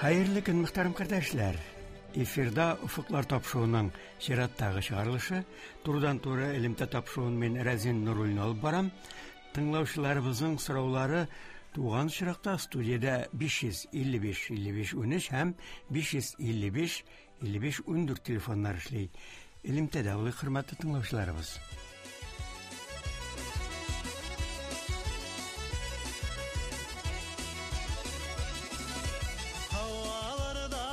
Хәерле көн, мөхтәрәм кардәшләр! Эфирда Офыклар тапшыруының чираттагы чыгарылышы. Турыдан-туры элемтә тапшыруын мин Рәзин Нуруллин алып барам. Тыңлаучыларыбызның сораулары туган очракта студиядә 555 55 13 һәм 555 55 14 телефоннар эшли. Элемтәдә булыйк, хөрмәтле тыңлаучыларыбыз. Һаваларда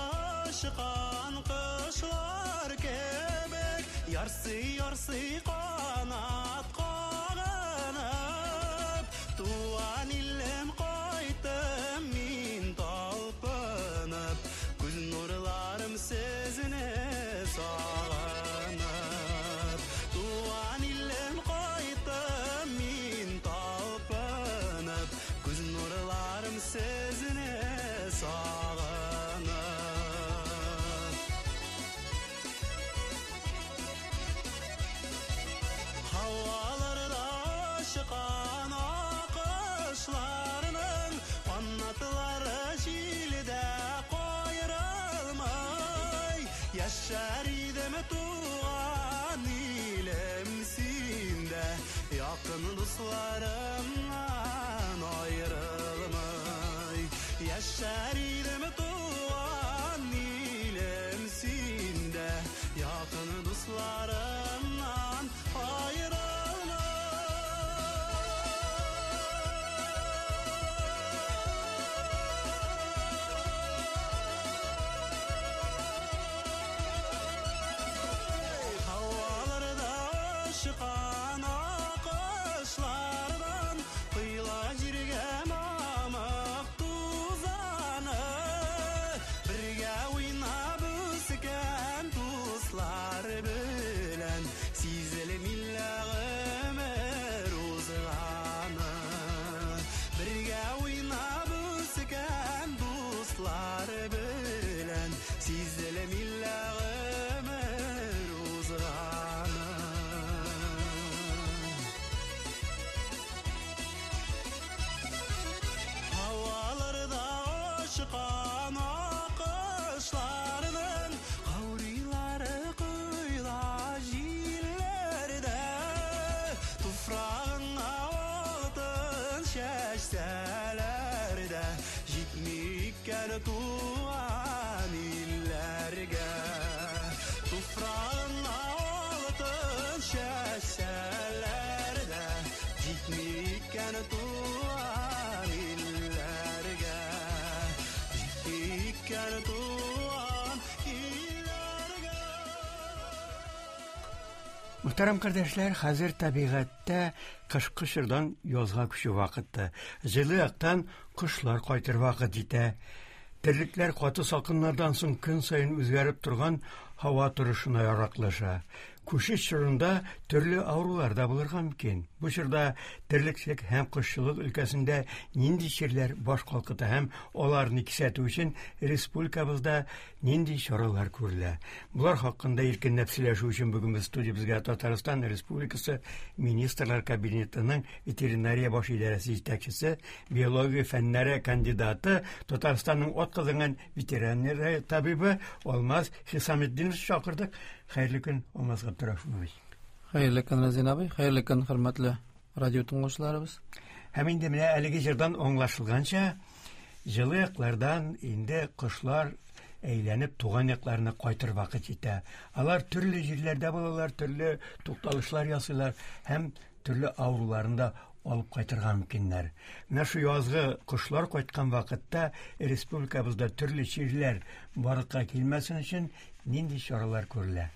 очкан кошлар кебек, ярсый-ярсый канат кагынып, туган илем кайттым мин талпынып, күз нурларым сезне сагынып. Туган илем кайттым мин талпынып, күз нурларым сезне сагынып. Һаваларда очкан акышларның канатлары җилдә каерылмый. Яшәр идем туган илем синдә, якын дусларымнан аерылмый. Яшәр идем туган илем синдә, якын дусларымнан аерылмый. Һаваларда очкан акышлардан коела җиргә мамык тузаны. Бергә уйнап үскән дуслар белән сизелми лә гомер узганы. Бергә уйнап үскән дуслар белән сизелми лә гомер узганы. Һаваларда очкан акышларның каурыйлары коела җилләрдә. Туфрагыңа алтын чәчсәләр дә, җитми икән туган илләргә. Туфрагыңа алтын чәчсәләр дә, җитми икән туган илләргә. Җитми икән туган илләргә. Мөхтәрәм кардәшләр, хәзер табигатьтә кышкы чордан язга күчү вакыты. Җылы яктан кошлар кайтыр вакыт җитә. Терлекләр каты салкыннардан соң көн саен үзгәреп торган һава торышына яраклаша. Күчеш чорында төрле авырулар да булырга мөмкин. Бу чорда терлекчелек һәм кошчылык өлкәсендә нинди чирләр баш калкыта һәм аларны кисәтү өчен республикабызда нинди чаралар күрелә? Болар хакында иркенләп сөйләшү өчен бүген без студиябезгә Татарстан Республикасы Министрлар Кабинетының ветеринария баш идарәсе җитәкчесе, биология фәннәре кандидаты, Татарстанның атказанган ветеринария табибы Алмаз Хисаметдинов чакырдык. Хәерле көн, Алмаз Габдрахманович. Хәерле көн, Разин абый. Хәерле көн, хөрмәтле радио тыңлаучыларыбыз. Һәм инде менә әлеге җырдан аңлашылганча, җылы яклардан инде кошлар әйләнеп туган якларына кайтыр вакыт җитә. Алар төрле җирләрдә булалар, төрле тукталышлар ясыйлар һәм төрле авыруларын да алып кайтырга мөмкиннәр. Менә шу язгы кошлар кайткан вакытта республикабызда төрле чирләр барлыкка килмәсен өчен нинди чаралар күрелә?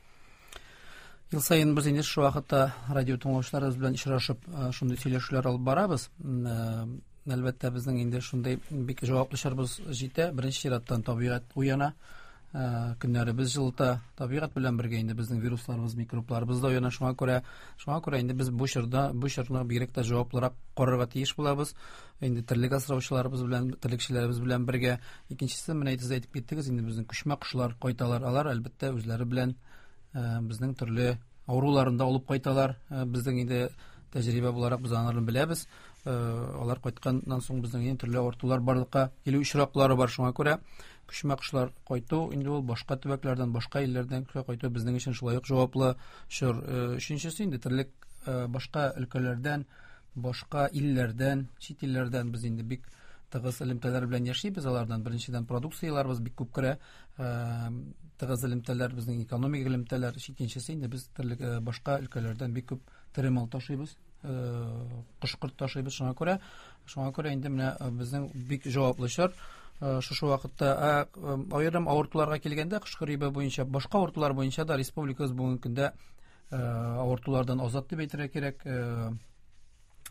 Ел саен без инде шушы вакытта радио тыңлаучыларыбыз белән очрашып, шундый сөйләшүләр алып барабыз. Әлбәттә, безнең инде шундый бик җаваплы чорыбыз җитә. Беренче чираттан табигать уяна, көннәребез җылыта. Табигать белән бергә инде безнең вирусларыбыз, микробларыбыз да уяна. Шуңа күрә, шуңа күрә инде без бу чорда, бу чорны бигрәк тә җаваплырак карарга тиеш булабыз. Инде терлек асраучыларыбыз белән, терлекчеләребез белән бергә. Икенчесе, менә сез әйтеп киттегез, инде безнең күчмә кошлар кайталар. Алар, әлбәттә, үзләре белән безнең төрле авыруларын да алып кайталар. Безнең инде тәҗрибә буларак без аларны беләбез. Алар кайтканнан соң безнең инде төрле авыртулар барлыкка килү очраклары бар. Шуңа күрә Күчмә кошлар кайту инде ул башка төбәкләрдән, башка илләрдән кайту безнең өчен шулай ук җаваплы чор. Өченчесе инде терлек башка өлкәләрдән, башка илләрдән, чит илләрдән без инде бик тыгыз элемтәләр белән яшибез. Алардан беренчедән продукцияләребез бик күп керә. Тыгыз элемтәләр, безнең экономик элемтәләр. Икенчесе инде без терлек башка өлкәләрдән бик күп тере мал ташыйбыз, кош-корт ташыйбыз. Шуңа күрә инде менә безнең бик җаваплы чор шушы вакытта. Аерым авыртуларга килгәндә, кош гриппы буенча, башка авыртулар буенча да республикабыз бүгенге көндә авыртулардан азат дип әйтергә кирәк.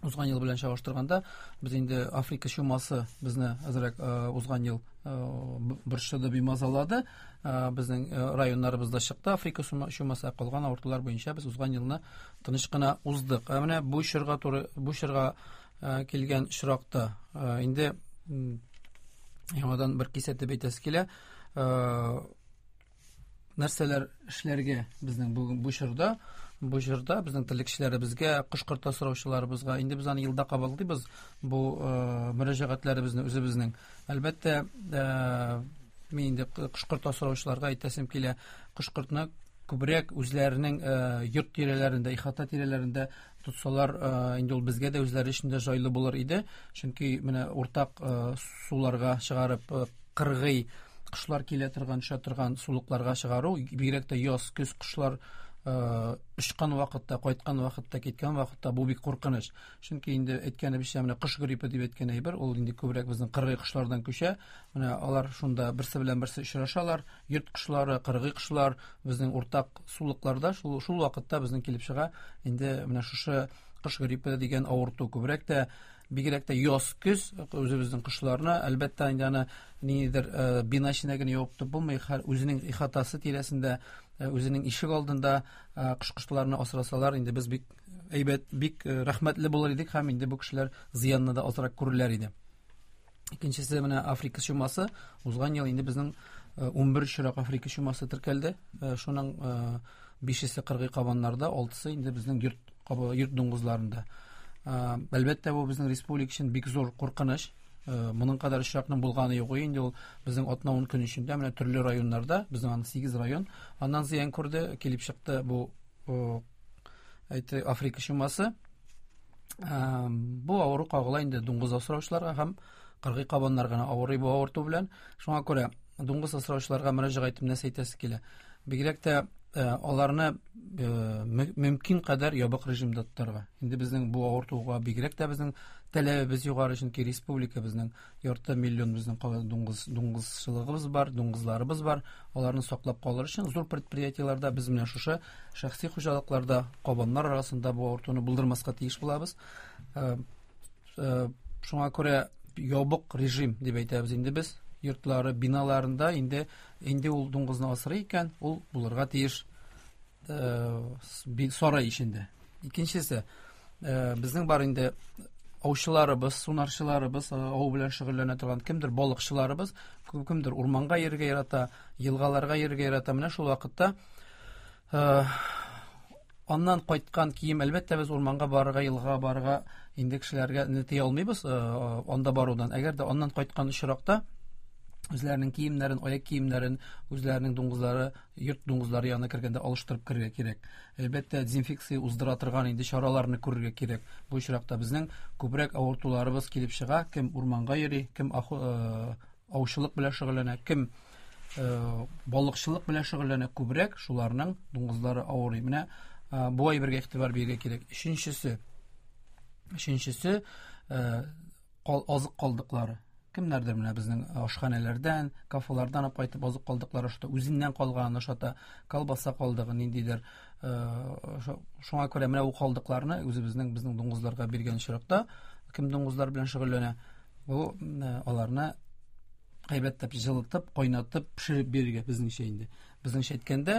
Узган ел белән чагыштырганда, без инде Африка чумасы безне әзрәк узган ел борчыды, бимазалады. Безнең районнарыбызда чыкты Африка чумасы, калган авыртулар буенча без узган елны тыныч кына уздык. Ә менә бу чорга туры, бу чорга килгән очракта инде яңадан бер кисәтеп әйтәсе килә. Нәрсәләр эшләргә безнең бүген бу чорда? Бу чорда безнең терлекчеләребезгә, кош-корт асраучыларыбызга, инде без аны елда кабатлыйбыз бу мөрәҗәгатьләребезне үзебезнең. Әлбәттә, мин инде кош-корт асраучыларга әйтәсем килә, кош-кортны күбрәк үзләренең йорт тирәләрендә, ихата тирәләрендә тотсалар, инде ул безгә дә, үзләре өчен дә җайлы булыр иде. Чөнки менә уртак суларга чыгарып, кыргый кошлар килә торган, төшә торган сулыкларга чыгару, бигрәк тә яз, көз кошлар очкан вакытта, кайткан вакытта, киткән вакытта бу бик куркыныч. Чөнки инде әйткәнебезчә, менә кош гриппы дип әйткән әйбер, ул инде күбрәк безнең кыргый кошлардан күчә. Менә алар шунда берсе белән берсе очрашалар. Йорт кошлары, кыргый кошлар безнең уртак сулыкларда шул вакытта безнең килеп чыга. Инде менә шушы кош гриппы дигән авырту күбрәк тә, бигрәк тә яз, көз үзебезнең кошларны, әлбәттә, инде аны ниндидер бина эченә генә ябып тотып булмый, һәр үзенең ихатасы тирәсендә, үзенең ишек алдында кош-кошларны асрасалар, инде без бик әйбәт, бик рәхмәтле булыр идек һәм инде бу кешеләр зыянны да азрак күрерләр иде. Икенчесе менә Африка чумасы. Узган ел инде безнең 11 очрак Африка чумасы теркәлде. Шуның 5-есе кыргый кабаннарда, 6-сы инде безнең йорт дуңгызларында. Әлбәттә, бу безнең республика өчен бик зур куркыныч. Моның кадәр очракның булганы юк инде ул безнең атна-ун көн эчендә менә төрле районнарда, безнең аны 8 район аннан зыян күрде, килеп чыкты бу, әйтте, Африка чумасы. Бу авыру кагыла инде дуңгыз асраучыларга һәм кыргый кабаннар гына авырый бу авырту белән. Шуңа күрә дуңгыз асраучыларга мөрәҗәгать итеп нәрсә әйтәсе килә? Бигрәк тә аларны мөмкин кадәр ябык режимда тотарга. Инде безнең бу авыртуга бигрәк тә безнең таләбебез югары, чөнки республика безнең ярты миллион безнең дуңгызчылыгыбыз бар, дуңгызларыбыз бар. Аларны саклап калыр өчен зур предприятиеләрдә без менә шушы шәхси хуҗалыкларда кабаннар арасында бу авыртуны булдырмаска тиеш булабыз. Шуңа күрә ябык режим дип әйтәбез инде без. Йортлары, биналарында инде ул дуңгызны асрый икән, ул булырга тиеш сарай эчендә. Икенчесе, безнең бар инде аучыларыбыз, сунарчыларыбыз, ау белән шөгыльләнә торган кемдер балыкчыларыбыз, кемдер урманга йөрергә ярата, елгаларга йөрергә ярата. Менә шул вакытта аннан кайткан кием, әлбәттә, без урманга барырга, елгага барырга инде кешеләргә тыя алмыйбыз, анда барудан. Әгәр дә аннан кайткан очракта үзләренең киемнәрен, аяк киемнәрен, үзләренең дуңгызлары, йорт дуңгызлары янына кергәндә алыштырып керергә кирәк. Әлбәттә, дезинфекция уздыра торган инде чараларны күрергә кирәк. Бу очракта безнең күбрәк авыртуларыбыз килеп чыга. Кем урманга йөри, кем аучылык белән шөгыльләнә, кем балыкчылык белән шөгыльләнә, күбрәк шуларның дуңгызлары авырый. Менә бу әйбергә игътибар бирергә кирәк. Өченчесе, азык калдыклары. Кемнәрдер менә безнең ашханәләрдән, кафелардан алып кайтып азык калдыклары ашата, үзеннән калганын ашата, колбаса калдыгы ниндидер. Шуңа күрә менә бу калдыкларны үзебезнең безнең дуңгызларга биргән очракта, кем дуңгызлар белән шөгыльләнә, бу аларны әйбәтләп җылытып, кайнатып, пешереп бирергә безнеңчә инде. Безнеңчә әйткәндә,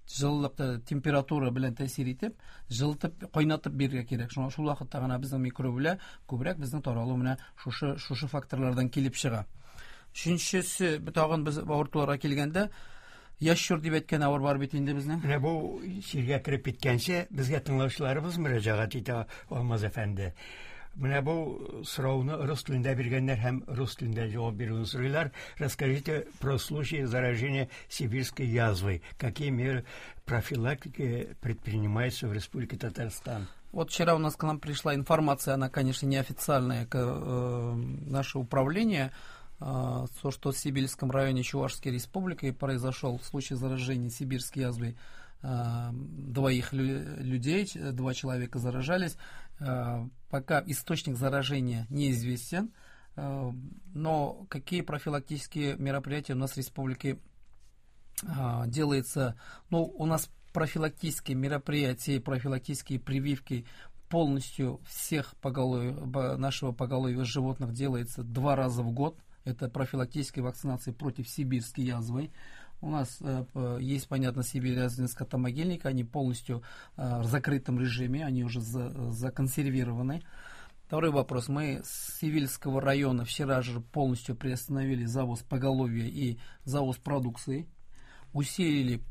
җылылык, температура белән тәэсир итеп, җылытып, кайнатып бирергә кирәк. Шуңа шул вакытта гына безнең микроб белән күбрәк безнең таралу менә шушы факторлардан килеп чыга. Өченчесе, тагын без авыртуларга килгәндә, яшь чор дип әйткән авыр бар бит инде безнең. Менә бу чиргә кереп киткәнче, безгә тыңлаучыларыбыз мөрәҗәгать итә, Алмаз әфәнде. Менә бу сорауны рус телендә биргәннәр һәм рус телендә җавап бирүен сорыйлар. Расскажите про случаи заражения сибирской язвой. Какие меры профилактики предпринимаются в Республике Татарстан? Вот вчера у нас к нам пришла информация, она, конечно, неофициальная, к наше управление, то, что в Сибирском районе Чувашской Республики произошел случай заражения сибирской язвой двоих людей, два человека заражались. Пока источник заражения неизвестен, но какие профилактические мероприятия у нас в республике делается? Ну, у нас профилактические мероприятия, профилактические прививки полностью всех поголовья, нашего поголовья животных делается 2 раза в год. Это профилактические вакцинации против сибирской язвы. У нас есть, понятно, сибирязвенные скотомогильники, они полностью в закрытом режиме, они уже законсервированы. Второй вопрос. Мы с Сивильского района вчера же полностью приостановили завоз поголовья и завоз продукции, усилили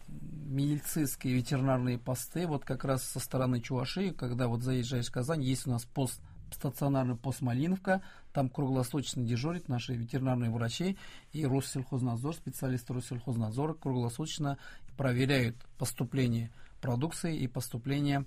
медицинские ветеринарные посты, вот как раз со стороны Чувашии, когда вот заезжаешь в Казань, есть у нас пост, стационарный пост Малиновка, там круглосуточно дежурят наши ветеринарные врачи и Россельхознадзор, специалисты Россельхознадзора круглосуточно проверяют поступление продукции и поступление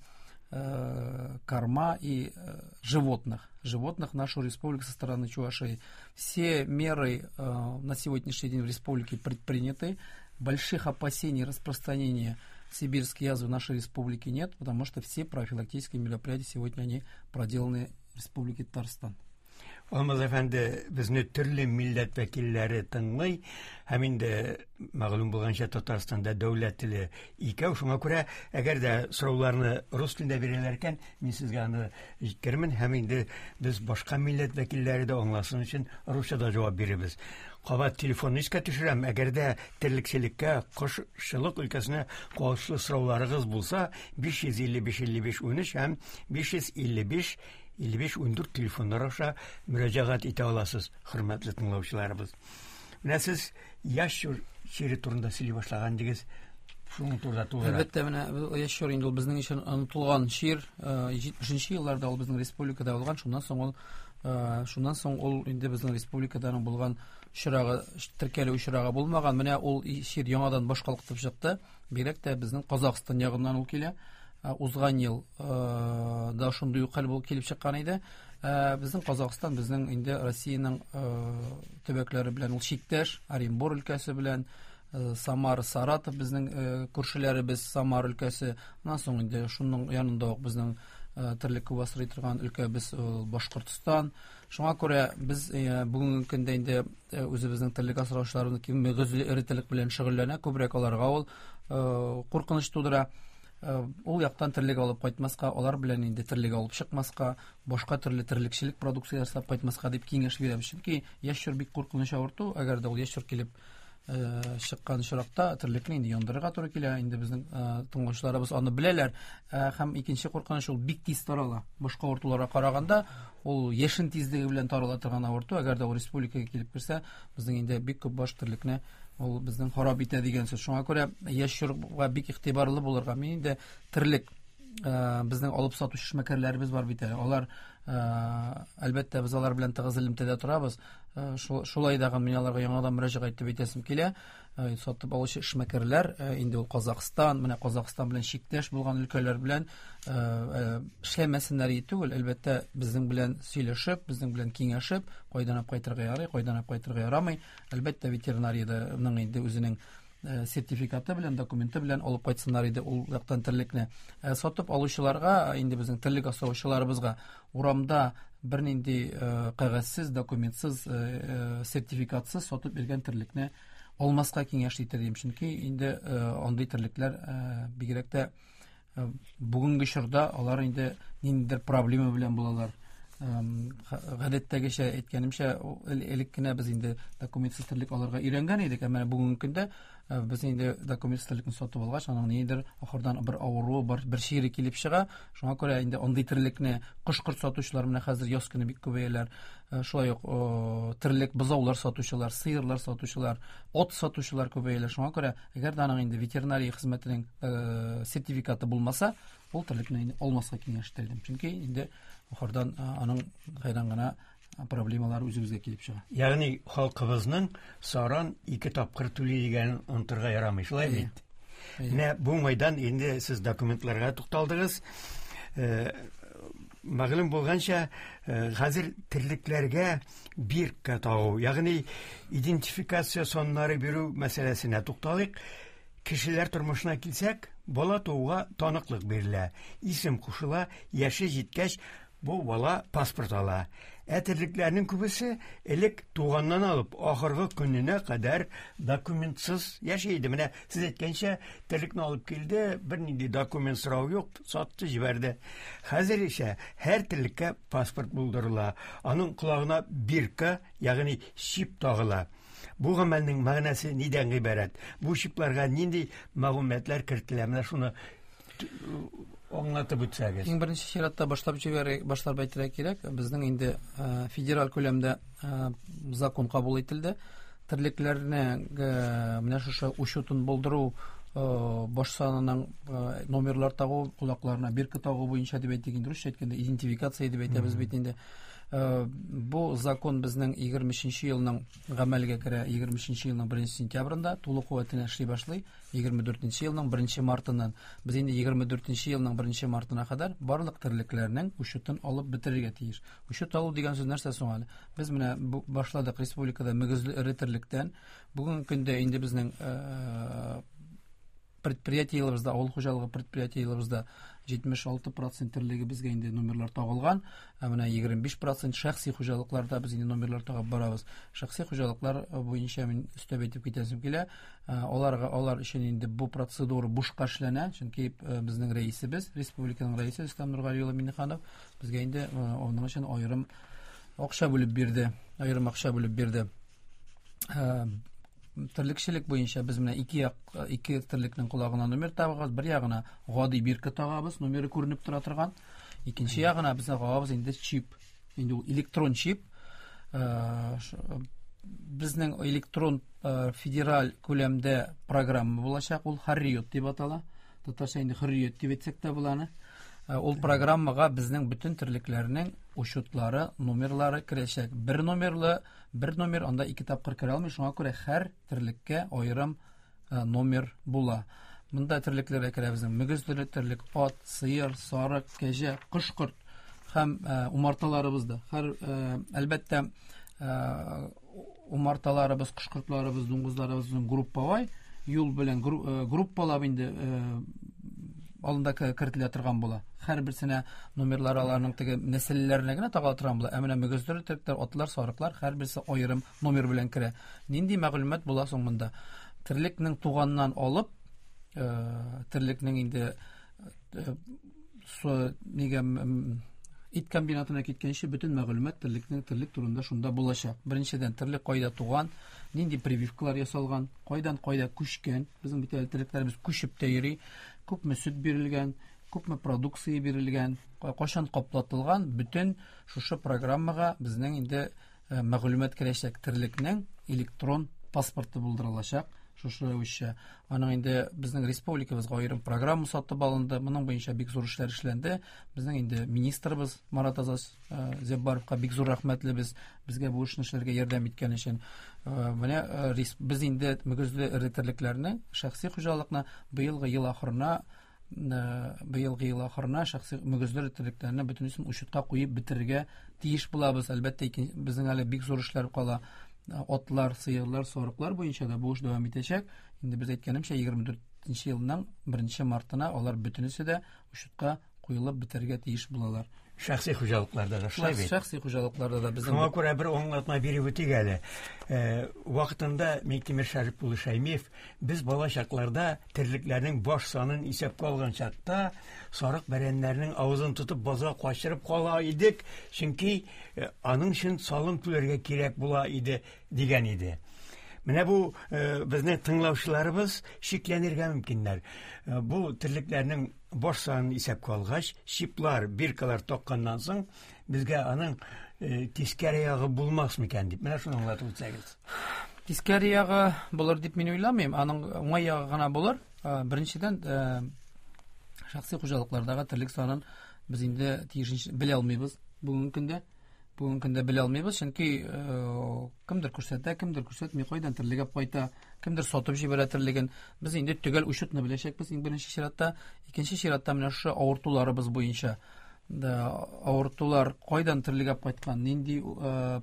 корма и животных в нашу республику со стороны Чувашии. Все меры на сегодняшний день в республике предприняты. Больших опасений распространения сибирской язвы в нашей республике нет, потому что все профилактические мероприятия сегодня они проделаны в Республике Татарстан. Алмаз әфәнде, безне төрле милләт вәкилләре тыңлый, һәм инде мәгълүм булганча Татарстанда дәүләт теле икәү, шуңа күрә әгәр дә сорауларны рус телендә бирәләр икән, мин сезгә аны җиткермен, һәм инде без башка милләт вәкилләре дә аңласын өчен русча да җавап бирербез. Кабат телефонны искә төшерәм, әгәр дә терлекчелеккә, кошчылык өлкәсенә кагылышлы сорауларыгыз булса, 555 55 13 һәм 555 55 14 телефоннар аша мөрәҗәгать итә аласыз, хөрмәтле тыңлаучыларыбыз. Менә сез яшь чире турында сөйли башлаган идегез, шуның турында тулырак. Әлбәттә, менә яшь чир инде ул безнең өчен онытылган чир, 70 елларда ул безнең республикада булган, шуннан соң ул инде безнең республикада булган очрагы, теркәлү очрагы булмаган. Менә ул чир яңадан баш калкытып чыкты. Бигрәк тә безнең Казахстан ягыннан ул килә. Узган ел да шундый ук хәл булып килеп чыккан иде. Безнең Казахстан безнең инде Россиянең төбәкләре белән ул чиктәш, Оренбур өлкәсе белән, Самара, Саратов безнең күршеләребез, Самара өлкәсе. Аннан соң инде шуның янында ук безнең терлек күп асрый торган өлкәбез Башкортстан. Шуңа күрә без бүгенге көндә инде үзебезнең терлек асраучыларыбыз ким мөгезле эре терлек белән шөгыльләнә, күбрәк аларга ул куркыныч тудыра. Ул яктан терлек алып кайтмаска, алар белән инде терлек алып чыкмаска, башка төрле терлекчелек продукция ясап кайтмаска дип киңәш бирәбез. Чөнки яшь чор бик куркыныч авырту, әгәр дә ул яшь чор килеп чыккан очракта терлекне инде яндырырга туры килә. Инде безнең тыңлаучыларыбыз аны беләләр. Һәм икенче куркыныч, ул бик тиз тарала. Башка авыртуларга караганда ул яшен тизлеге белән тарала торган авырту. Әгәр дә ул республикага килеп керсә, безнең инде бик күп баш терлекне ул безнең харап итә дигән сүз. Шуңа күрә яшь чорга бик игътибарлы булырга. Мин инде терлек безнең алып сатучы эшмәкәрләребез бар бит әле. Алар, әлбәттә, без алар белән тыгыз элемтәдә торабыз. Шулай да мин аларга яңадан мөрәҗәгать итеп әйтәсем килә. Сатып алучы эшмәкәрләр, инде ул Казахстан, менә Казахстан белән чиктәш булган өлкәләр белән эшләмәсеннәр түгел, әлбәттә, безнең белән сөйләшеп, безнең белән киңәшеп, кайдан алып кайтырга ярый, кайдан алып кайтырга ярамый. Әлбәттә, ветеринариянең инде үзенең сертификаты белән, документы белән алып кайтсыннар иде ул яктан терлекне. Сатып алучыларга, инде безнең терлек асраучыларыбызга урамда бернинди кәгазьсез, документсыз, сертификатсыз сатып биргән терлекне алмаска киңәш итер идем. Чөнки инде андый терлекләр бигрәк тә бүгенге чорда алар инде ниндидер проблема белән булалар. Гадәттәгечә әйткәнемчә, элек кенә без инде документсыз терлек алырга өйрәнгән идек, әмма бүгенге көндә без инде документсыз терлекне сатып алгач, аның ниндидер ахырдан бер авыруы бар, бер чире килеп чыга. Шуңа күрә инде андый терлекне кош-корт сатучылар менә хәзер яз көне бик күбәяләр. Шулай ук терлек бозаулар сатучылар, сыерлар сатучылар, ат сатучылар күбәяләр. Шуңа күрә әгәр дә аның инде ветеринария хезмәтенең сертификаты булмаса, ул терлекне инде алмаска киңәш ителде. Чөнки инде ахырдан аның кайдан гына проблемалар үзебезгә килеп чыга. Ягъни халкыбызның саран 2 тапкыр түли дигәнен онытырга ярамый, шулай бит? Менә бу уңайдан инде сез документларга тукталдыгыз. Мәгълүм булганча, хәзер терлекләргә бирка тагу, ягъни идентификация саннары бирү мәсьәләсенә тукталыйк. Кешеләр тормышына килсәк, бала тууга таныклык бирелә, исем кушыла, яше җиткәч, бу бала паспорт ала. Ә терлекләрнең күбесе элек туганнан алып ахыргы көненә кадәр документсыз яши иде. Менә сез әйткәнчә, терлекне алып килде, бернинди документ сорау юк, сатты, җибәрде. Хәзер исә һәр терлеккә паспорт булдырыла. Аның колагына бирка, ягъни чип тагыла. Бу гамәлнең мәгънәсе нидән гыйбарәт? Бу чипларга нинди мәгълүматлар кертелә? Менә шуны аңлатып үтсәгез. Иң беренче чиратта башлап җибәрә, башлап әйтергә кирәк, безнең инде федераль күләмдә закон кабул ителде. Терлекләрне менә шушы учетын булдыру, баш санының номерлар тагу, колакларына бирка тагу буенча дип әйтик инде, русча әйткәндә идентификация дип әйтәбез бит инде. Бу закон безнең егерме өченче елның гамәлгә керә, егерме өченче елның беренче сентябрендә тулы куәтенә эшли башлый. Егерме дүртенче елның беренче мартыннан. Без инде егерме дүртенче елның беренче мартына кадәр барлык терлекләрнең учетын алып бетерергә тиеш. Учет алу дигән сүз нәрсә соң әле? Без менә бу башладык республикада мөгезле эре терлектән. Бүгенге көндә инде безнең предприятиеләребездә, авыл хуҗалыгы предприятиеләребездә 76% терлеге безгә инде номерлар тагылган. Ә менә 25% шәхси хуҗалыкларда без инде номерлар тагып барабыз. Шәхси хуҗалыклар буенча мин өстәп әйтеп китәсем килә. Аларга, алар өчен инде бу процедура бушка эшләнә, чөнки безнең рәисебез, республиканың рәисе Рөстәм Нургали улы Миңнеханов безгә инде аның өчен аерым акча бүлеп бирде. Аерым акча бүлеп бирде. Терлекчелек буенча без менә ике як, ике терлекнең колагына номер тагабыз, бер ягына гади бирка тагабыз, номеры күренеп тора торган. Икенче ягына без тагабыз инде чип. Инде ул электрон чип. Безнең электрон федераль күләмдә программа булачак, ул Хөррият дип атала. Татарча инде Хөррият дип әйтсәк тә була аны. Ул программага безнең бөтен терлекләрнең учетлары, номерлары керәчәк. Бер номерлы, бер номер анда ике тапкыр керә алмый, шуңа күрә һәр терлеккә аерым номер була. Монда терлекләргә керә безнең мөгезле терлек, ат, сыер, сарык, кәҗә, кош-корт һәм умарталарыбыз да. Һәр әлбәттә умарталарыбыз, кош-кортларыбыз, дуңгызларыбызның групповой юл белән группалап инде алында кертелә торган була. Һәр берсенә номерлар аларның теге нәселләренә генә тагыла торган була. Ә менә мөгезле терлекләр, атлар, сарыклар һәр берсе аерым номер белән керә. Нинди мәгълүмат була соң монда? Терлекнең туганнан алып, терлекнең инде со, нигә ит комбинатына киткәнче бөтен мәгълүмат терлекнең терлек турында шунда булачак. Беренчедән, терлек кайда туган, нинди прививкалар ясалган, кайдан кайда күчкән. Безнең бит әле терлекләребез күчеп тә йөри. Күпме сөт бирелгән, күпме продукция бирелгән, кайчан каплатылган, бөтен шушы программага безнең инде мәгълүмат керәчәк. Терлекнең электрон паспорты булдырылачак. Шушы рәвешчә. Аның инде безнең республикабызга аерым программа сатып алынды. Моның буенча бик зур эшләр эшләнде. Безнең инде министрыбыз Марат Азаз Зяббаровка бик зур рәхмәтлебез, безгә бу эшне эшләргә ярдәм иткән өчен. Менә без инде мөгезле эре терлекләрне, шәхси хуҗалыкны быелгы ел ахырына быелгы ел ахырына шәхси мөгезле эре терлекләрне бөтенесен учетка куеп бетерергә тиеш булабыз. Әлбәттә, безнең әле бик зур эшләр кала. Атлар, сыерлар, сарыклар буенча да бу эш дәвам итәчәк. Инде без әйткәнемчә, егерме дүртенче елның беренче мартына алар бөтенесе дә учетка куелып бетерергә тиеш булалар. Шәхси хуҗалыкларда да шулай бит. Шәхси хуҗалыкларда да безнең. Шуңа күрә бер аңлатма биреп үтик әле. Вакытында Миңтимер Шәрип улы Шәймиев без бала чакларда терлекләрнең баш санын исәпкә алган чакта сарык бәрәннәрнең авызын тотып базга качырып кала идек, чөнки аның өчен салым түләргә кирәк була иде дигән иде. Менә бу безнең тыңлаучыларыбыз шикләнергә мөмкиннәр. Бу терлекләрнең баш санын исәпкә алгач, чиплар, биркалар такканнан соң, безгә аның тискәре ягы булмас микән дип. Менә шуны аңлатып үтсәгез. Тискәре ягы булыр дип мин уйламыйм. Аның уңай ягы гына булыр. Беренчедән, шәхси хуҗалыклардагы терлек санын без инде тиешенчә белә алмыйбыз бүгенге көндә. Бүгенге көндә белә алмыйбыз, чөнки кемдер күрсәтә, кемдер күрсәтми, кайдан терлек алып кайта, кемдер сатып җибәрә терлеген. Без инде төгәл учетны беләчәкбез иң беренче чиратта. Икенче чиратта менә шушы авыртуларыбыз буенча да авыртулар кайдан терлек алып кайткан, нинди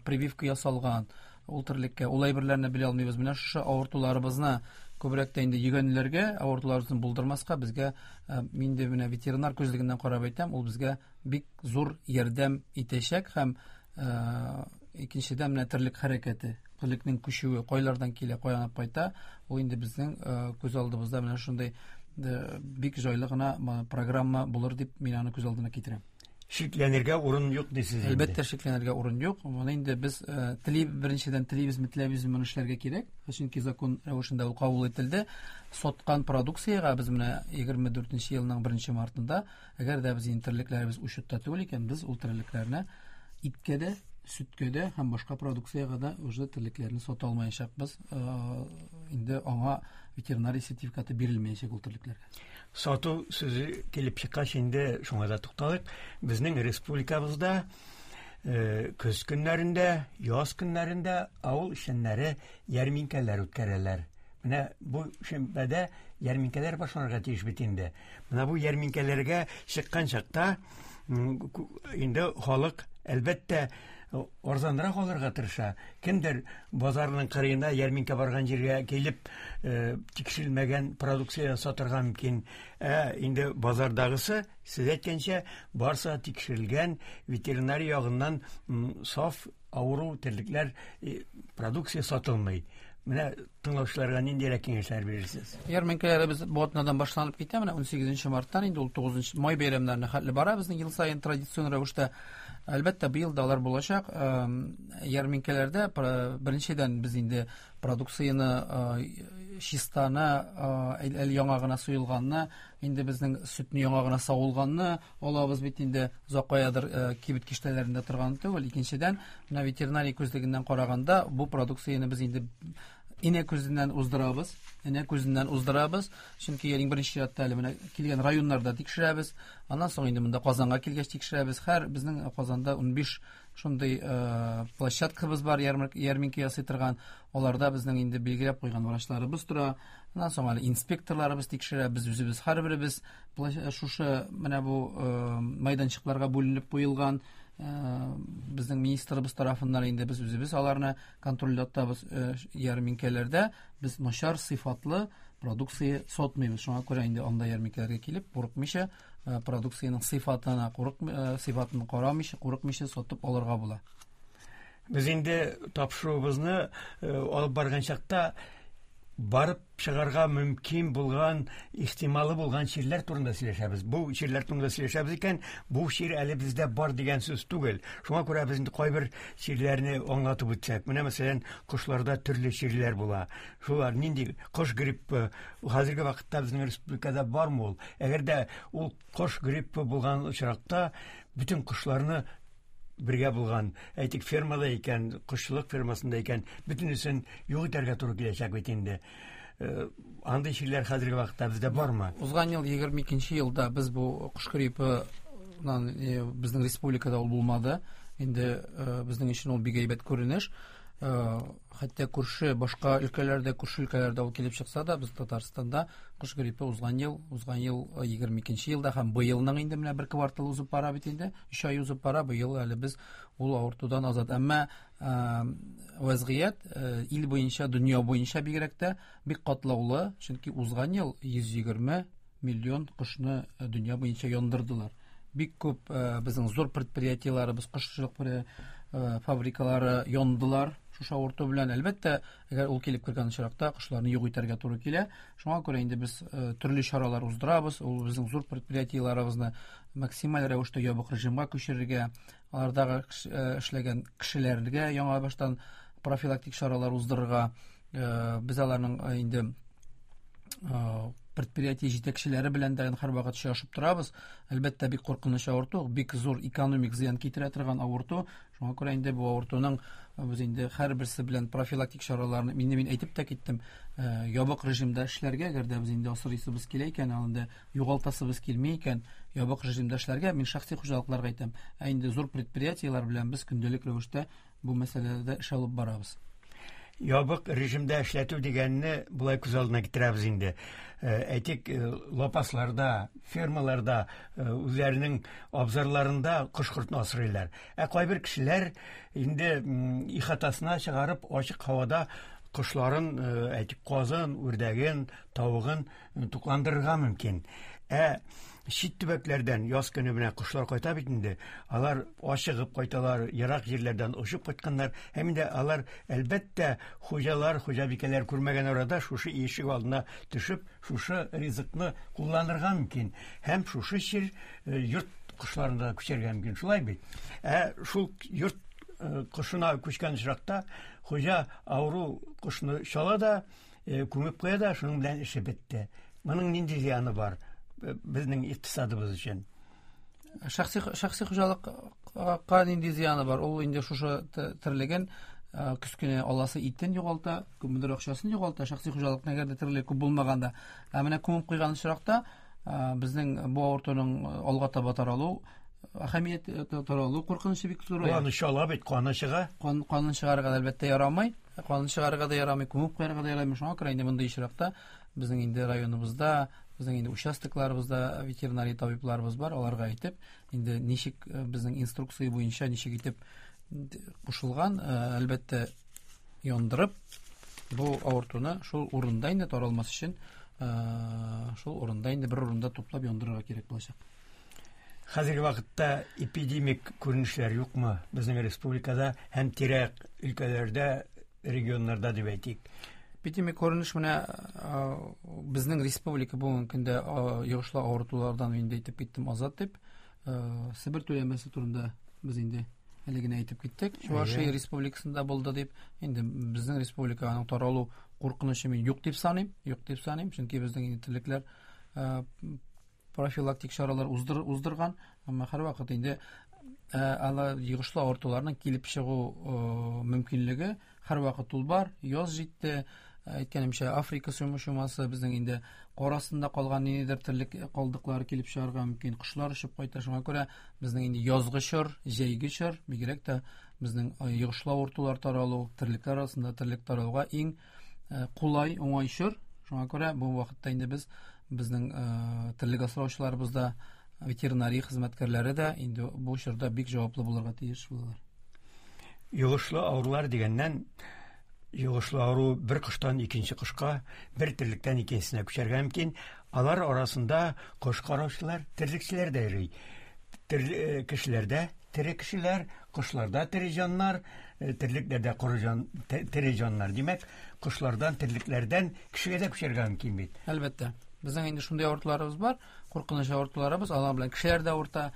прививка ясалган ул терлеккә, ул әйберләрне белә алмыйбыз. Менә шушы авыртуларыбызны күбрәк тә инде йөгәнләргә, авыртуларыбызны булдырмаска безгә, инде менә ветеринар күзлегеннән карап әйтәм, ул безгә бик зур ярдәм итәчәк һәм икенчедән менә терлек хәрәкәте, терлекнең күчүе кайлардан килә, каян алып кайта, ул инде безнең күз алдыбызда менә шундый бик җайлы гына программа булыр дип мин аны күз алдына китерәм. Шикләнергә урын юк дисез инде. Әлбәттә, шикләнергә урын юк. Моны инде без тели, беренчедән телибезме, теләбезме моны эшләргә кирәк. Чөнки закон рәвешендә ул кабул ителде. Саткан продукциягә без менә 24 елның 1 мартында, әгәр дә без инде терлекләребез учетта түгел икән, без ул терлекләрне иткә дә, сөткә дә һәм башка продукциягә дә уже терлекләрне сата алмаячакбыз. Инде аңа ветеринария сертификаты бирелмәячәк ул терлекләргә. Сату сүзе килеп чыккач, инде шуңа да тукталыйк. Безнең республикабызда көз көннәрендә, яз көннәрендә авыл эшчәннәре ярминкәләр үткәрәләр. Менә бу шимбәдә ярминкәләр башланырга тиеш бит инде. Менә бу ярминкәләргә чыккан чакта инде халык әлбәттә арзанрак алырга тырыша. Кемдер базарның кырыена ярминкә барган җиргә килеп тикшерелмәгән продукция сатырга мөмкин. Ә инде базардагысы, сез әйткәнчә, барса тикшерелгән, ветеринария ягыннан саф авыру терлекләр продукция сатылмый. Менә тыңлаучыларга ниндирәк киңәшләр бирерсез? Ярминкәләребез бу атнадан башланып китә. Менә 18 марттан инде ул 9 май бәйрәмнәренә хәтле бара безнең ел саен традицион рәвештә. Әлбәттә, быел да алар булачак. Ярминкәләрдә беренчедән без инде продукцияне чистаны, әле яңа гына суелганны, инде безнең сөтне яңа гына савылганны алабыз бит инде, озак каядыр кибет киштәләрендә торган түгел. Икенчедән, менә ветеринария күзлегеннән караганда, бу продукцияне без инде инә күзеннән уздырабыз, инә күзеннән уздырабыз. Чөнки иң беренче чиратта әле менә килгән районнарда тикшерәбез. Аннан соң инде монда Казанга килгәч тикшерәбез. Һәр безнең Казанда 15 шундый площадкабыз бар, ярминкә ясый торган. Аларда безнең инде билгеләп куйган врачларыбыз тора. Аннан соң әле инспекторларыбыз тикшерә. Без үзебез һәрберебез шушы менә бу майданчыкларга бүленеп куелган безнең министрыбыз тарафыннан инде без үзебез аларны контрольдә тотабыз. Ярминкәләрдә без начар сыйфатлы продукция сатмыйбыз. Шуңа күрә инде анда ярминкәләргә килеп, курыкмыйча, продукциянең сыйфатына сыйфатын карамыйча, курыкмыйча сатып алырга була. Без инде тапшыруыбызны алып барган чакта барып чыгарга мөмкин булган, ихтималы булган чирләр турында сөйләшәбез. Бу чирләр турында сөйләшәбез икән, бу чир әле бездә бар дигән сүз түгел. Шуңа күрә без инде кайбер чирләрне аңлатып үтсәк. Менә мәсәлән, кошларда төрле чирләр була. Шулар нинди кош гриппы хәзерге вакытта безнең республикада бармы ул? Әгәр дә ул кош гриппы булган очракта, бөтен кошларны бергә булган, әйтик, фермада икән, кошчылык фермасында икән, бөтенесен юк итәргә туры киләчәк бит инде. Андый чирләр хәзерге вакытта бездә бармы? Узган ел 22 елда без бу кош гриппыннан безнең республикада ул булмады. Инде безнең өчен ул бик әйбәт күренеш. Хәтта күрше башка өлкәләрдә, күрше өлкәләрдә ул килеп чыкса да, без Татарстанда кош гриппы узган ел, узган ел 22 елда һәм быелның инде менә бер квартал узып бара бит инде, 3 ай узып бара, быел әле без ул авыртудан азат. Әмма вазгыять ил буенча, дөнья буенча бигрәк тә бик катлаулы, чөнки узган ел 120 миллион кошны дөнья буенча яндырдылар. Бик күп безнең зур предприятиеләребез, кошчылык фабрикалары яндылар шушы авырту белән. Әлбәттә, әгәр ул килеп кергән очракта, кошларны юк итәргә туры килә. Шуңа күрә инде без төрле чаралар уздырабыз. Ул безнең зур предприятиеләребезне максималь рәвештә ябык режимга күчерергә, алардагы эшләгән кешеләргә яңа баштан профилактик чаралар уздырырга. Без аларның инде предприятие җитәкчеләре белән дә һәрвакыт очрашып торабыз. Әлбәттә, бик куркыныч авырту, бик зур экономик зыян китерә торган авырту. Шуңа күрә инде бу авыртуның без инде һәрберсе белән профилактик чараларны инде мин әйтеп тә киттем, ябык режимда эшләргә, әгәр дә без инде асрыйсыбыз килә икән, ал инде югалтасыбыз килми икән, ябык режимда эшләргә, мин шәхси хуҗалыкларга әйтәм. Ә инде зур предприятиеләр белән без көндәлек рәвештә бу мәсьәләдә эш алып барабыз. Ябык режимда эшләтү дигәнне болай күз алдына китерәбез инде. Әйтик, лапасларда, фермаларда, үзләренең абзарларында кош-кортны асрыйлар. Ә кайбер кешеләр инде ихатасына чыгарып, ачык һавада кошларын, әйтик, казын, үрдәген, тавыгын тукландырырга мөмкин. Ә чит төбәкләрдән яз көне менә кошлар кайта бит инде. Алар ашыгып кайталар, ерак җирләрдән очып кайтканнар. Һәм инде алар, әлбәттә, хуҗалар, хуҗабикәләр күрмәгән арада шушы ишек алдына төшеп, шушы ризыкны кулланырга мөмкин. Һәм шушы чир йорт кошларына да күчәргә мөмкин. Шулай бит? Ә шул йорт кошына күчкән очракта хуҗа авыру кошны чала да, күмеп куя да, шуның белән эше бетте. Моның нинди зыяны бар безнең икътисадыбыз өчен? Шәхси хуҗалыкка нинди зыяны бар? Ул инде шушы терлеген көз көне аласы итен югалта, күпмедер акчасын югалта. Шәхси хуҗалыкның әгәр дә терлеге күп булмаганда, ә менә күмеп куйган очракта безнең бу авыртуның алга таба таралу әһәмият таралу куркынычы бик зур. Аны чала бит, каны чыга. Канын чыгарырга әлбәттә ярамый. Канын чыгарырга да ярамый, күмеп куярга да ярамый. Шуңа күрә инде мондый очракта безнең инде районыбызда, безнең инде участокларыбызда ветеринария табибларыбыз бар, аларга әйтеп, инде ничек безнең инструкция буенча ничек итеп кушылган, әлбәттә, яндырып, бу авыртуны шул урында инде таралмас өчен, шул урында инде бер урында туплап яндырырга кирәк булачак. Хәзерге вакытта эпидемик күренешләр юкмы безнең республикада һәм тирә-як өлкәләрдә, регионнарда дип әйтик? Эпидемик күренеш менә безнең республика бүгенге көндә йогышлы авыртулардан инде әйтеп киттем азат дип. Себер түләмәсе турында без инде әле генә әйтеп киттек. Чувашия республикасында булды дип. Инде безнең республиканың таралу куркынычы мин юк дип саныйм, юк дип саныйм, чөнки безнең инде терлекләр профилактик чаралар уздырган, әмма һәрвакыт инде ала йогышлы авыртуларның килеп чыгу мөмкинлеге һәрвакыт ул бар. Яз җитте, әйткәнемчә, Африка чумасы безнең инде кар астында калган ниндидер терлек калдыклары килеп чыгарга мөмкин, кошлар очып кайта. Шуңа күрә безнең инде язгы чор, җәйге чор, бигрәк тә безнең йогышлы авыртулар таралу, терлекләр арасында терлек таралуга иң кулай, уңай чор. Шуңа күрә бу вакытта инде без безнең терлек асраучыларыбыз да, ветеринария хезмәткәрләре дә инде бу чорда бик җаваплы булырга тиеш булалар. Йогышлы авырулар дигәннән, йогышлы авыру бер коштан икенче кошка, бер терлектән икенчесенә күчәргә мөмкин. Алар арасында кош караучылар, терлекчеләр дә йөри. Кешеләрдә тере кешеләр, кошларда тере җаннар, терлекләрдә коры җан, тере җаннар. Димәк, кошлардан, терлекләрдән кешегә дә күчәргә мөмкин бит. Әлбәттә. Безнең инде шундый авыртуларыбыз бар, куркыныч авыртуларыбыз, алар белән кешеләр дә авырта,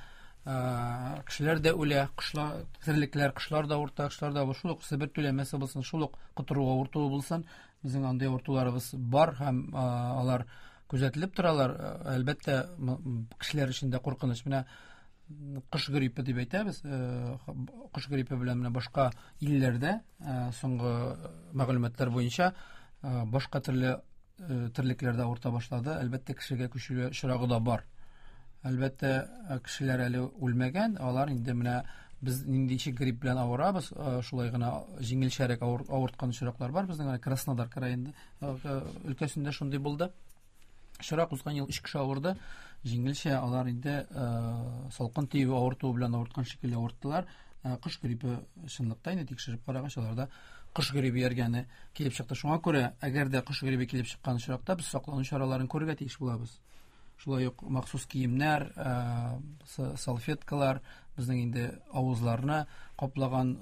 кешеләр дә үлә, кошлар, терлекләр, кошлар да авырта, кошлар да шул ук Себер түләмәсе булсын, шул ук котыру авыртуы булсын, безнең андый авыртуларыбыз бар һәм алар күзәтелеп торалар. Әлбәттә, кешеләр өчен дә куркыныч. Менә кош гриппы дип әйтәбез. Кош гриппы белән менә башка илләрдә, соңгы мәгълүматлар буенча, башка төрле терлекләрдә авырта башлады. Әлбәттә, кешегә күчү очрагы да бар. Әлбәттә, кешеләр әле үлмәгән, алар инде менә без ниндичек грипп белән авырабыз, шулай гына җиңелчәрәк авырткан очраклар бар. Безнең менә Краснодар краенда, өлкәсендә шундый булды. Очрак узган ел 3 кеше авырды. Җиңелчә алар инде салкын тию авыртуы белән авырткан шикелле авырттылар. Кош гриппы чынлыкта инде тикшереп карагач, аларда кош гриппы йөргәне килеп чыкты. Шуңа күрә, әгәр дә кош гриппы килеп чыккан очракта, без саклану чараларын күрергә тиеш булабыз. Шулай ук махсус киемнәр, салфеткалар, безнең инде авызларны каплаган,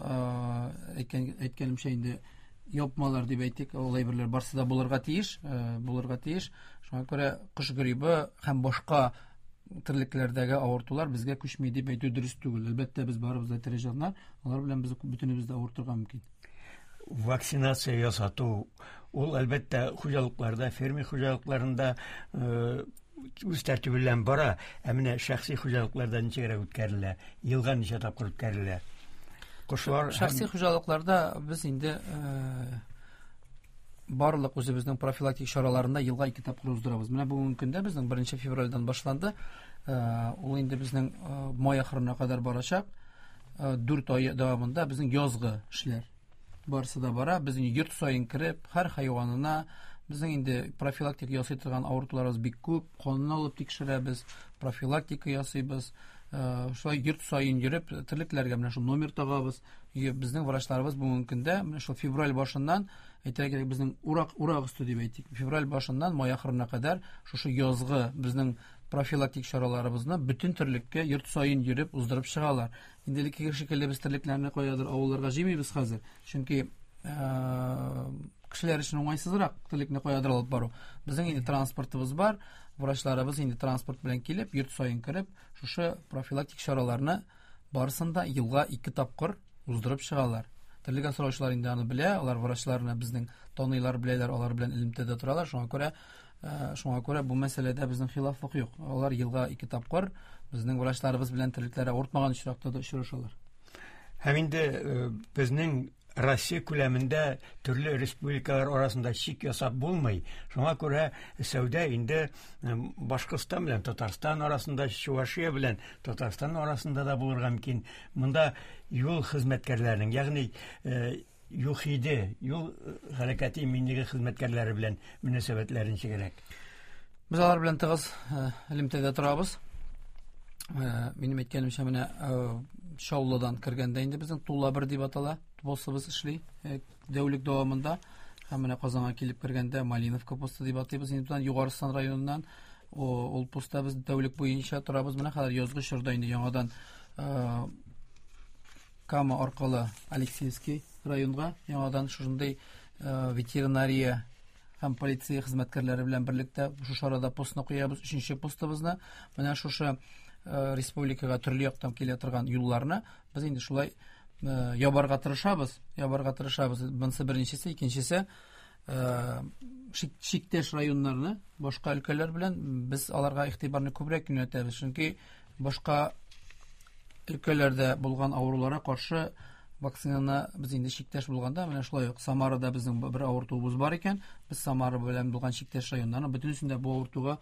әйткәнемчә инде япмалар дип әйтик, ул әйберләр барсы да булырга тиеш, булырга тиеш. Шуңа күрә кош грибы һәм башка терлекләрдәге авыртулар безгә күчми дип әйтү дөрес түгел. Әлбәттә, без барыбыз да тере җаннар, алар белән без бөтенебез дә авыртырга мөмкин. Вакцинация ясату ул, әлбәттә, хуҗалыкларда, фермер хуҗалыкларында үз тәртибе белән бара. Ә менә шәхси хуҗалыкларда ничегрәк үткәрелә? Елга ничә тапкыр үткәрелә? Кошлар шәхси хуҗалыкларда без инде барлык үзебезнең профилактик чараларында елга 2 тапкыр уздырабыз. Менә бүгенге көндә безнең 1 февральдән башланды. Ул инде безнең май ахырына кадәр барачак. 4 ай дәвамында безнең язгы эшләр барысы да бара. Безнең йорт саен кереп, һәр хайванына безнең инде профилактика ясый торган авыртуларыбыз бик күп, канны алып тикшерәбез, профилактика ясыйбыз. Шулай йорт саен йөреп, терлекләргә менә шул номер тагабыз. Безнең врачларыбыз бүгенге көндә менә шул февраль башыннан, әйтергә кирәк, безнең урак өсте дип әйтик. Февраль башыннан май ахырына кадәр шушы язгы безнең профилактик чараларыбызны бөтен терлеккә йорт саен йөреп уздырып чыгалар. Инде элеккеге шикелле без терлекләрне каядыр авылларга җыймыйбыз хәзер. Чөнки кешеләр өчен уңайсызрак терлекне каядыр алып бару. Безнең инде транспортыбыз бар, врачларыбыз инде транспорт белән килеп, йорт саен кереп, шушы профилактик чараларны барысын да елга 2 тапкыр уздырып чыгалар. Терлек асраучылар инде аны белә, алар врачларны безнең таныйлар, беләләр, алар белән элемтәдә торалар. Шуңа күрә бу мәсьәләдә безнең хилафлык юк. Алар елга 2 тапкыр безнең врачларыбыз белән терлекләре авыртмаган очракта да очрашалар. Һәм инде безнең Россия күләмендә төрле республикалар арасында чик ясап булмый. Шуңа күрә сәүдә инде Башкортстан белән Татарстан арасында, Чувашия белән Татарстан арасында да булырга мөмкин. Монда юл хезмәткәрләренең, ягъни ЮХИДИ, юл хәрәкәте иминлеге хезмәткәрләре белән мөнәсәбәтләр ничегрәк? Без алар белән тыгыз элемтәдә торабыз. Минем әйткәнемчә, менә Чаллыдан кергәндә инде безнең Тула 1 дип атала, постыбыз эшли дәүлек дәвамында. Һәм менә Казанга килеп кергәндә Малиновка посты дип атыйбыз. Инде бездән Югарыстан районыннан ул постта без дәүлек буенча торабыз. Менә хәзер язгы чорда инде яңадан Кама аркылы Алексеевский районга яңадан шушындый ветеринария һәм полиция хезмәткәрләре белән берлектә шушы арада постны куябыз, 3-нче постыбызны. Менә шушы республикага төрле яктан килә торган юлларны без инде шулай ябарга тырышабыз, ябарга тырышабыз. Монысы беренчесе, икенчесе, чиктәш районнарны башка өлкәләр белән без аларга игътибарны күбрәк юнәтәбез, чөнки башка өлкәләрдә булган авыруларга каршы вакцинаны без инде чиктәш булганда, менә шулай ук Самарада безнең бер авыртуыбыз бар икән, без Самара белән булган чиктәш районнарның бөтенесендә бу авыртуга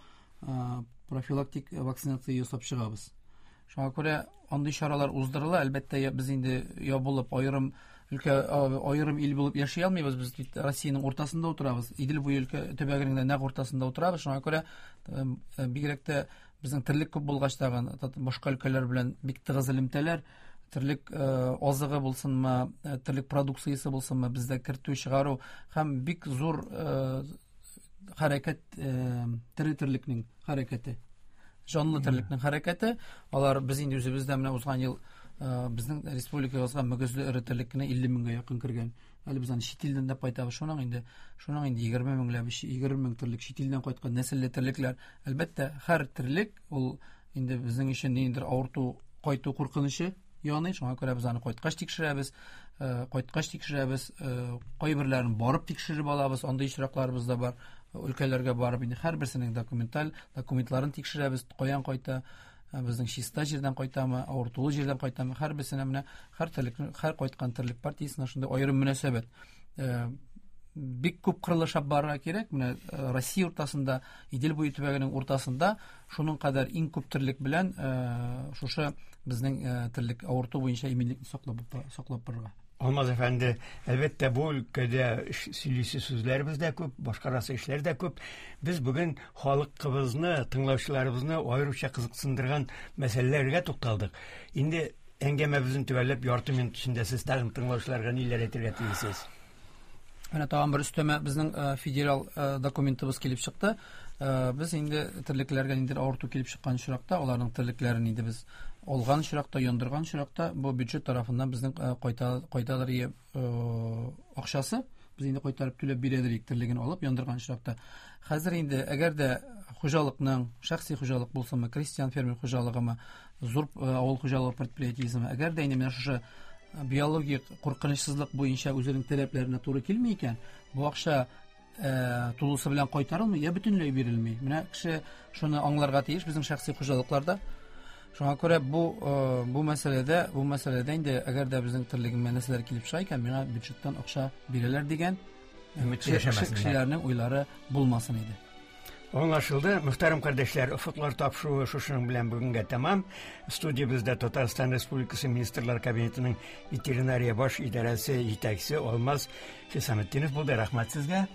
профилактик вакцинация ясап чыгабыз. Шуңа күрә андый чаралар уздырыла. Әлбәттә, без инде ябылып, аерым өлкә, аерым ил булып яши алмыйбыз. Без бит Россиянең уртасында утырабыз. Идел буе өлкә төбәгенең дә нәкъ уртасында утырабыз. Шуңа күрә бигрәк тә безнең терлек күп булгач тагын башка өлкәләр белән бик тыгыз элемтәләр, терлек азыгы булсынмы, терлек продукциясе булсынмы, бездә кертү, чыгару һәм бик зур хәрәкәт, тере терлекнең хәрәкәте, җанлы терлекнең хәрәкәте. Алар без инде үзебез дә менә узган ел безнең республикабызга мөгезле эре терлек кенә 50 меңгә якын кергән. Әле без аны чит илдән дә кайтабыз. Шуның инде егерме меңләп, егерме мең терлек чит илдән кайткан нәселле терлекләр. Әлбәттә, һәр терлек ул инде безнең өчен ниндидер авырту кайту куркынычы яный. Шуңа күрә без аны кайткач тикшерәбез, кайткач тикшерәбез, кайберләрен барып тикшереп алабыз. Андый очракларыбыз да бар. Өлкәләргә барып инде һәрберсенең документларын тикшерәбез, каян кайта, безнең чиста җирдән кайтамы, авыртулы җирдән кайтамы, һәрберсенә менә һәр терлек, һәр кайткан терлек партиясенә шундый аерым мөнәсәбәт. Бик күп кырылышап барырга кирәк. Менә Россия уртасында, Идел буе төбәгенең уртасында шуның кадәр иң күп терлек белән шушы безнең терлек авырту буенча иминлекне саклап барырга. Алмаз әфәнде, әлбәттә, бу өлкәдә сөйлисе сүзләребез дә күп, башкарасы эшләр дә күп. Без бүген халкыбызны, тыңлаучыларыбызны аеруча кызыксындырган мәсьәләләргә тукталдык. Инде әңгәмәбезне төгәлләп, ярты минут эчендә сез тагын тыңлаучыларга ниләр әйтергә телисез? Менә тагын бер өстәмә безнең федераль документыбыз килеп чыкты. Без инде терлекләргә ниндидер авырту килеп чыккан очракта, аларның терлекләрен инде без алган очракта, яндырган очракта, бу бюджет тарафыннан безнең кайта кайтадыр акчасы, без инде кайтарып түләп бирәдер идек терлеген алып яндырган очракта. Хәзер инде әгәр дә хуҗалыкның, шәхси хуҗалык булсынмы, крестьян фермер хуҗалыгымы, зур авыл хуҗалыгы предприятиесеме, әгәр дә инде менә шушы биологик куркынычсызлык буенча үзенең таләпләренә туры килми икән, бу акча тулысы белән кайтарылмый, я бөтенләй бирелми. Менә кеше шуны аңларга тиеш безнең шәхси хуҗалыкларда. Шуңа күрә бу бу мәсьәләдә, бу мәсьәләдә инде әгәр дә безнең терлегемә нәрсәләр килеп чыга икән, миңа бюджеттан акча бирәләр дигән кешеләрнең уйлары булмасын иде. Аңлашылды. Мөхтәрәм кардәшләр, Офыклар тапшыруы шушының белән бүгенгә тәмам. Студиябездә Татарстан Республикасы Министрлар Кабинетының ветеринария баш идарәсе җитәкчесе Алмаз Хисаметдинов булды. Рәхмәт сезгә.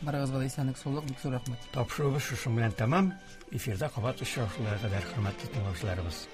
Барыгызга да исәнлек, саулык, бик зур рәхмәт. Тапшыруыбыз шушының белән тәмам. Эфирда кабат очрашуларга кадәр, хөрмәтле тыңлаучыларыбыз.